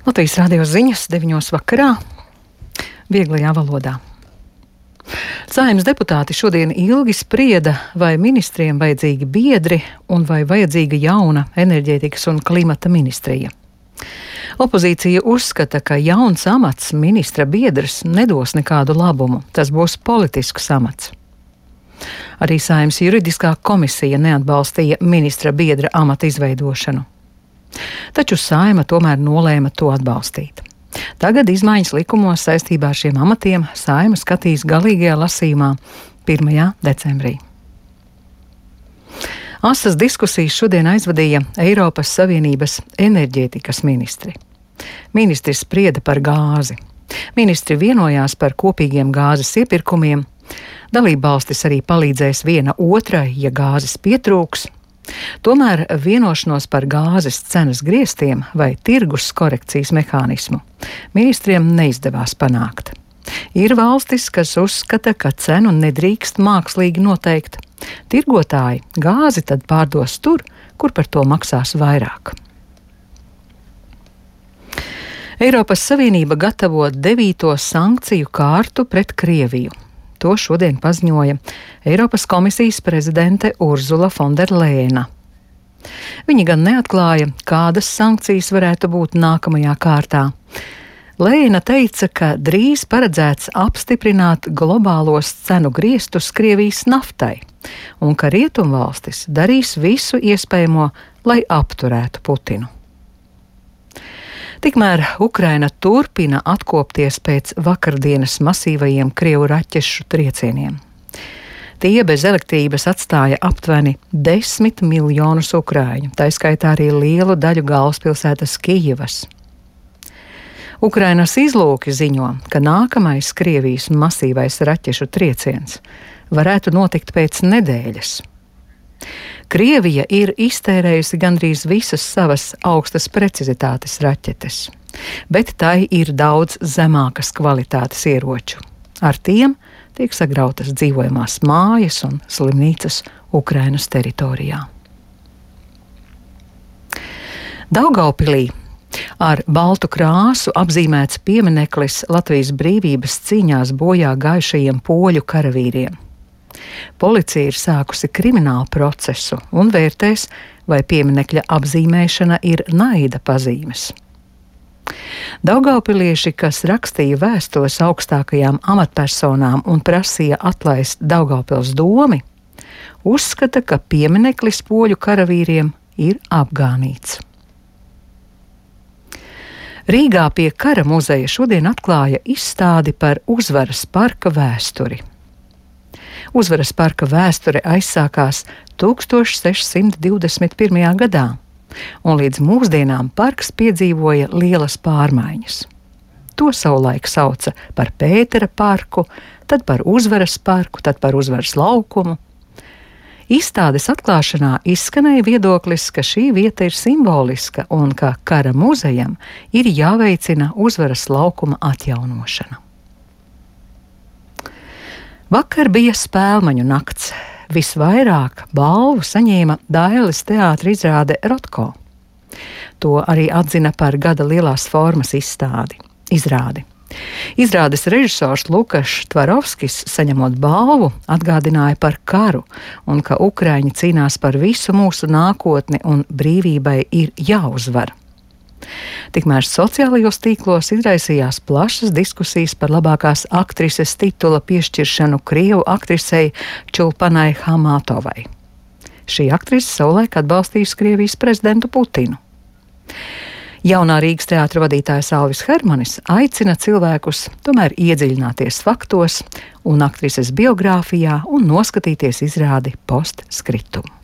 Latvijas radio ziņas 9 vakarā, vieglajā valodā. Saeimas deputāti šodien ilgi sprieda, vai ministriem vajadzīgi biedri un vai vajadzīga jauna enerģētikas un klimata ministrija. Opozīcija uzskata, ka jauns amats ministra biedrs nedos nekādu labumu, tas būs politisks amats. Arī Saeimas juridiskā komisija neatbalstīja ministra biedra amata izveidošanu. Taču Saeima tomēr nolēma to atbalstīt. Tagad izmaiņas likumos saistībā ar šiem amatiem Saeima skatīs galīgajā lasījumā 1. decembrī. Asas diskusijas šodien aizvadīja Eiropas Savienības enerģētikas ministri. Ministri sprieda par gāzi. Ministri vienojās par kopīgiem gāzes iepirkumiem. Dalībvalstis arī palīdzēs viena otrai, ja gāzes pietrūks. Tomēr vienošanos par gāzes cenas griestiem vai tirgus korekcijas mehānismu ministriem neizdevās panākt. Ir valstis, kas uzskata, ka cenu nedrīkst mākslīgi noteikt. Tirgotāji gāzi tad pārdos tur, kur par to maksās vairāk. Eiropas Savienība gatavo 9. sankciju kārtu pret Krieviju. To šodien paziņoja Eiropas komisijas prezidente Urzula Fonderlejena. Viņa gan neatklāja, kādas sankcijas varētu būt nākamajā kārtā. Lejena teica, ka drīz paredzēts apstiprināt globālos cenu griestus Krievijas naftai un ka rietumvalstis darīs visu iespējamo, lai apturētu Putinu. Tikmēr Ukraina turpina atkopties pēc vakardienas masīvajiem Krievu raķešu triecieniem. Tie bez elektrības atstāja aptuveni 10 miljonus ukrāņu, tā skaitā arī lielu daļu galvaspilsētas Kijivas. Ukrainas izlūki ziņo, ka nākamais Krievijas masīvais raķešu trieciens varētu notikt pēc nedēļas. Krievija ir iztērējusi gandrīz visas savas augstas precizitātes raķetes, bet tai ir daudz zemākas kvalitātes ieroču. Ar tiem tiek sagrautas dzīvojamās mājas un slimnīcas Ukrainas teritorijā. Daugavpilī ar baltu krāsu apzīmēts piemineklis Latvijas brīvības cīņās bojā gājušajiem poļu karavīriem. Policija ir sākusi kriminālu procesu un vērtēs, vai pieminekļa apzīmēšana ir naida pazīmes. Daugavpilieši, kas rakstīja vēstules augstākajām amatpersonām un prasīja atlaist Daugavpils domi, uzskata, ka piemineklis poļu karavīriem ir apgānīts. Rīgā pie Kara muzeja šodien atklāja izstādi par Uzvaras parka vēsturi. Uzvaras parka vēsture aizsākās 1621. gadā, un līdz mūsdienām parks piedzīvoja lielas pārmaiņas. To savulaik sauca par Pētera parku, tad par Uzvaras parku, tad par Uzvaras laukumu. Izstādes atklāšanā izskanēja viedoklis, ka šī vieta ir simboliska un ka Kara muzejam ir jāveicina Uzvaras laukuma atjaunošana. Vakar bija Spēlmaņu nakts. Visvairāk balvu saņēma Dailes teātra izrāde Rotko. To arī atzina par gada lielās formas izrādi. Izrādes režisors Lukašs Tvarovskis, saņemot balvu, atgādināja par karu un ka Ukraiņi cīnās par visu mūsu nākotni un brīvībai ir jāuzvar. Tikmēr sociālajos tīklos izraisījās plašas diskusijas par labākās aktrises titula piešķiršanu Krievu aktrisei Čulpanai Hamatovai. Šī aktrise savulaik atbalstījusi Krievijas prezidentu Putinu. Jaunā Rīgas teātra vadītājs Alvis Hermanis aicina cilvēkus tomēr iedziļināties faktos un aktrises biogrāfijā un noskatīties izrādi postscriptum.